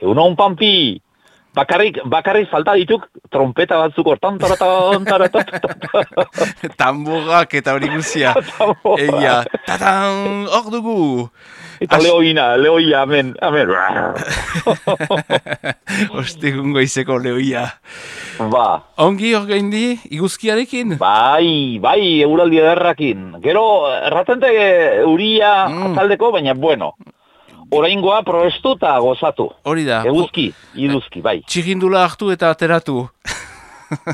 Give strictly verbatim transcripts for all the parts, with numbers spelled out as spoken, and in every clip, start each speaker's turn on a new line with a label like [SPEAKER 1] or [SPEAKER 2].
[SPEAKER 1] Egunon, Pampi! Bakarrik, bakarrik falta dituk trompeta batzuk hortan, taratan, taratan.
[SPEAKER 2] Tamborrak eta hori guzia. Egia, tatan, hor dugu.
[SPEAKER 1] Eta As... lehoina, lehoia, amen, amen.
[SPEAKER 2] Ostegungo izeko lehoia.
[SPEAKER 1] Ba.
[SPEAKER 2] Ongi hor gaindi, iguzkiarekin?
[SPEAKER 1] Bai, bai, euraldi ederrakin. Gero, erratente euria mm. atzaldeko, baina bueno. Oraingoa probestu eta gozatu.
[SPEAKER 2] Hori da.
[SPEAKER 1] Eguzki, iduzki, bai.
[SPEAKER 2] Txirindula hartu eta ateratu.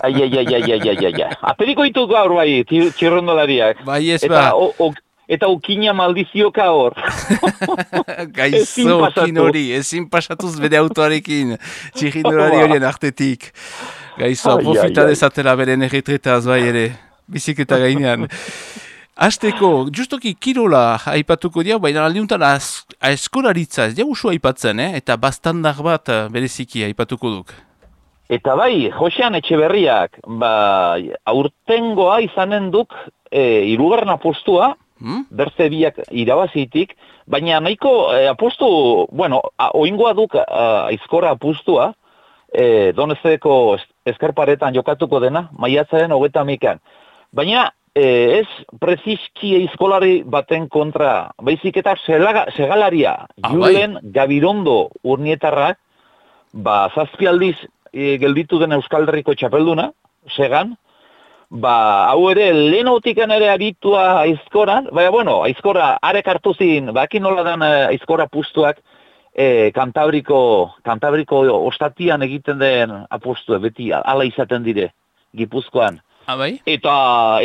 [SPEAKER 1] Ai, ai, ai, ai, ai, ai, ai. Aperiko ditu gaur, bai, txirrindolariak.
[SPEAKER 2] Bai, ez
[SPEAKER 1] eta,
[SPEAKER 2] ba.
[SPEAKER 1] O, o, eta ukina maldizioka hor.
[SPEAKER 2] Gaizo ukin hori, ezin pasatuz bere autoarekin. Txirindolari horien artetik. Gaizo, profita dezatela beren erretretaz, bai ere. Biziketa gainean. Azteko, justoki kirola aipatuko diau, baina aldiuntan aeskolaritza ez diau usu aipatzen, eh? Eta bastandar bat bereziki aipatuko duk.
[SPEAKER 1] Eta bai, Josean Etxeberriak, ba, aurtengoa izanen duk e, irugarren apostua, hmm? Berze biak irabazitik, baina nahiko e, apostu, bueno, a, oingoa duk a, aizkora apostua, e, Donezeko eskerparetan jokatuko dena, maiatzaren hogeta mikan. Baina, E, ez preziski eizkolari baten kontra, baizik eta selaga, segalaria, ah, Julen bai. Gabirondo urnietarrak, ba, zazpi aldiz e, gelditu den Euskal Herriko txapelduna, segan, ba, hau ere, lehen autikan ere aritua aizkoran, baina, bueno, aizkora arek hartu zin, baki nola den aizkora pustuak, e, Kantabriko, Kantabriko ostatian egiten den apostu, beti ala izaten dire, Gipuzkoan.
[SPEAKER 2] Abai?
[SPEAKER 1] Eta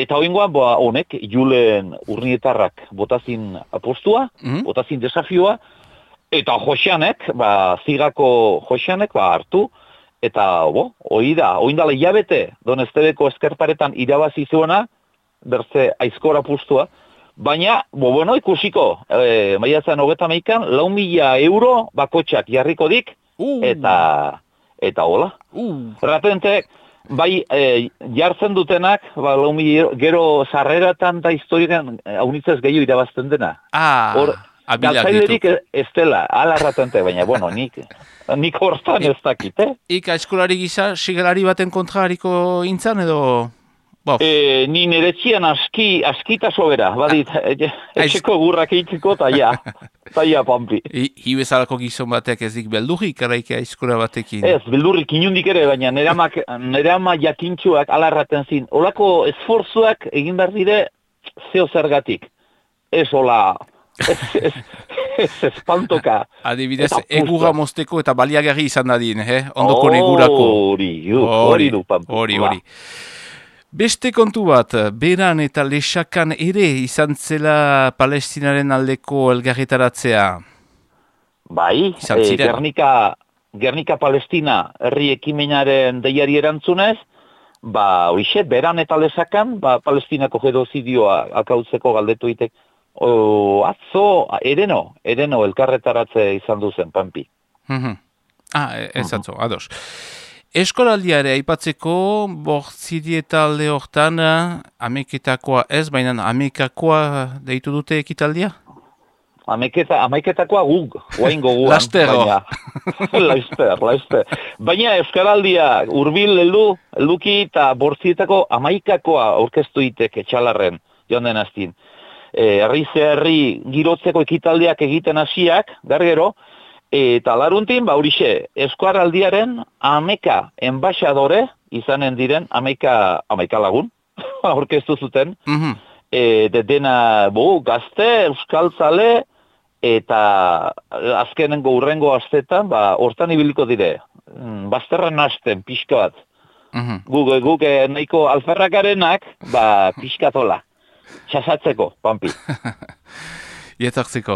[SPEAKER 1] eta hoingoan ba honek Julen Urnietarrak botazin apostua, mm-hmm. botazin desafioa eta Joseanek, ba Zigako Joseanek ba hartu eta bo, hori da, oindala hilabete Doneztebeko eskerparetan irabazi zuena berze aizkora apustua, baina bo bueno, ikusiko, e, maiatzan hogeta hamaika, lau mila euro bakotxak jarriko dik uh. eta eta hola. Uh. Ratentek bai, e, jartzen dutenak, ba, gero sarreratan da historian haunitzez gehiago irabazten dena.
[SPEAKER 2] Ah,
[SPEAKER 1] Hor, galtzailerik ez dela, alarratente, baina, bueno, nik, nik hortan ez dakit, eh?
[SPEAKER 2] Ika eskolari gisa, sigalari baten kontra hariko intzan edo...
[SPEAKER 1] E, ni nire txian aski, askita sobera, badit, etxeko gurrak eitziko, eta ja, eta ja, Pampi.
[SPEAKER 2] Hi bezalako gizon batek ez dik beldurrik, araika eskola batekin?
[SPEAKER 1] Ez, beldurrik inundik ere, baina nire ama jakintxuak alarraten zin. Olako esforzuak egin behar dire zeo zergatik. Ez hola, ez, ez, ez espantoka.
[SPEAKER 2] Adibidez, egurra mozteko eta baliagarri izan dadin, eh? Ondoko negurako.
[SPEAKER 1] Hori, hori du, Pampi.
[SPEAKER 2] Hori, hori. Beste kontu bat, Beran eta Lexakan ere izan zela Palestinaren aldeko elgarretaratzea.
[SPEAKER 1] Bai, e, Gernika, Gernika Palestina herri ekimenaren deiari erantzunez, ba, horixe, Beran eta Lexakan, ba, Palestinako genozidioa akautzeko galdetu itek. O, atzo, ereno, ereno elkarretaratze izan duzen, Pampi.
[SPEAKER 2] Mm-hmm. Ah, ez atzo, ados. Eskolaldiare aipatzeko, bortziri eta alde hortan, ameketakoa ez, baina amekakoa deitu dute ekitaldia?
[SPEAKER 1] Ameketa, ameketakoa guk, oaingo guan.
[SPEAKER 2] Lastero.
[SPEAKER 1] Laster, laster. Baina Euskaraldia urbil heldu, helduki eta bortzietako amaikakoa aurkeztu itek etxalarren, joan den aztin. E, herri ze herri girotzeko ekitaldiak egiten hasiak, gargero, eta laruntin, ba, horixe, Euskaraldiaren ameka enbaixadore izanen diren, ameka, ameka lagun, aurkeztu zuten, mm-hmm. e, de dena, bo, gazte, euskaltzale, eta azkenengo urrengo astetan, ba, hortan ibiliko dire, bazterren hasten, pixka bat. Mm-hmm. Guk, guk nahiko alferrakarenak, ba, pixkatola, txasatzeko, Pampi.
[SPEAKER 2] Ietartzeko.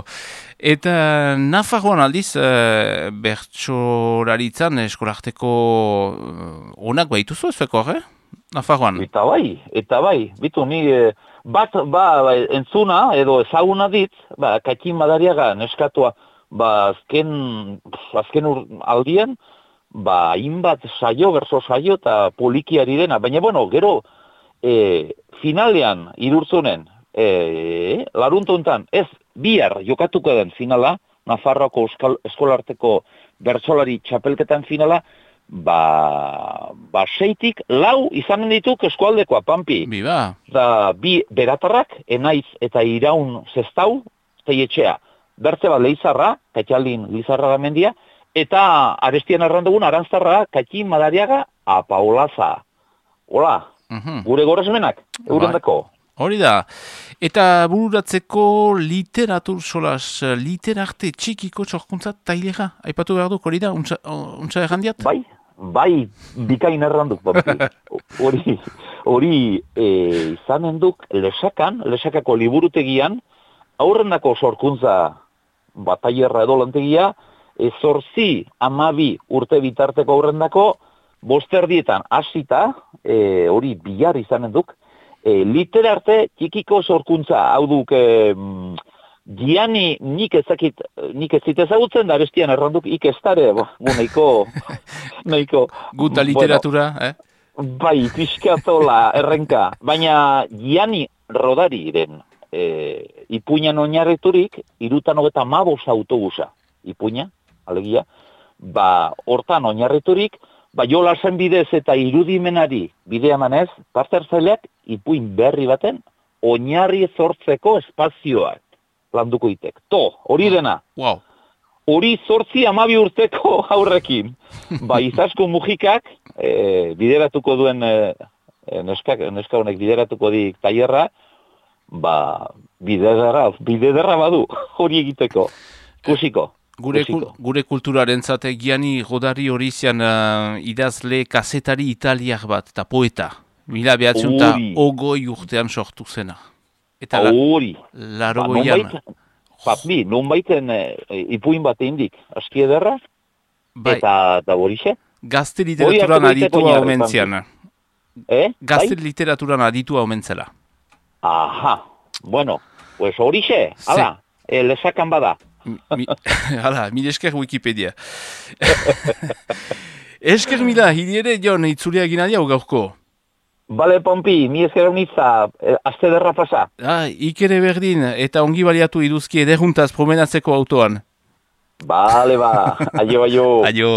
[SPEAKER 2] Eta Nafarroan aldiz, e, bertsolaritzan eskolarteko onak baituzu ez zueko, eh? Nafarroan.
[SPEAKER 1] Eta bai, eta bai. Bitu, ni bat, ba, entzuna edo ezaguna dit, ba, Katin Madariaga neskatua, ba, azken, azken ur, aldien, ba, inbat saio, berso saio, eta polikiari dena. Baina, bueno, gero, e, finalean, irurtzunen, e, laruntuntan, ez, bihar jokatuko den finala, Nafarroako eskolarteko bertsolari txapelketan finala, ba, ba seitik lau izanen dituk eskualdekoa, Pampi.
[SPEAKER 2] Biba.
[SPEAKER 1] Da, bi beratarrak, Enaiz eta Iraun zestau, zeietxea. Bertze bat Leizarra, Kaitxaldin Lizarra da mendia, eta arestian errandugun Arantzarra, Kaitxin Madariaga, Apaolaza. Hola,
[SPEAKER 2] Mhm.
[SPEAKER 1] gure goresmenak, eurendako.
[SPEAKER 2] Hori da. Eta bururatzeko literatur solas, literarte txikiko txorkuntza tailera, aipatu behar duk, hori da, untsa, untsa errandiat?
[SPEAKER 1] Bai, bai, bikain erranduk, hori, hori e, izanen duk lesakan, lesakako liburutegian, aurrendako sorkuntza batailerra edo lantegia, e, zorzi amabi urte bitarteko aurrendako, bosterdietan hasita, e, hori bihar izanen duk, e, literarte txikiko sorkuntza, hau duk, e, Giani nik ezakit, nik ez zit ezagutzen, da bestian erranduk ik ez dare, bo, nahiko, nahiko...
[SPEAKER 2] Guta literatura, bueno, eh?
[SPEAKER 1] Bai, pixkatola, errenka, baina Giani Rodariren e, ipuinan oinarriturik, irutan hogeta mabos autobusa, ipuina, alegia, ba, hortan oinarriturik, ba, jolasen bidez eta irudimenari bidea manez, parterzaileak ipuin berri baten, oinarri zortzeko espazioak landuko itek. To, hori dena.
[SPEAKER 2] Wow.
[SPEAKER 1] Hori zortzi amabi urteko aurrekin. Ba, izasko mujikak, e, bideratuko duen, e, neska, neska honek bideratuko dik tailerra, ba, bidederra, bidederra badu, hori egiteko. Kusiko.
[SPEAKER 2] Gure, kul, gure kulturaren zate Giani Rodari hori zian uh, idazle kazetari italiak bat, eta poeta. Mila behatzen eta ogoi urtean sortu zena. Eta
[SPEAKER 1] hori.
[SPEAKER 2] La, laro ba, goian.
[SPEAKER 1] Papi, non baiten e, ipuin bat eindik, aski ederra, bai. Eta da horixe.
[SPEAKER 2] Gazte literaturan aditua omentzian.
[SPEAKER 1] Eh?
[SPEAKER 2] Gazte bai? Literaturan aditua omentzela.
[SPEAKER 1] Aha, bueno, pues horixe, ala, e, lesakan bada.
[SPEAKER 2] Mi, hala, mil esker Wikipedia. Esker mila, hiri ere, Jon, itzulia egin adia gaurko.
[SPEAKER 1] Bale, Pompi, mi esker honitza, eh, azte derra pasa.
[SPEAKER 2] Ah, ikere berdin, eta ongi baliatu iduzki ederuntaz promenatzeko autoan.
[SPEAKER 1] Bale, ba, aio, aio.
[SPEAKER 2] Aio.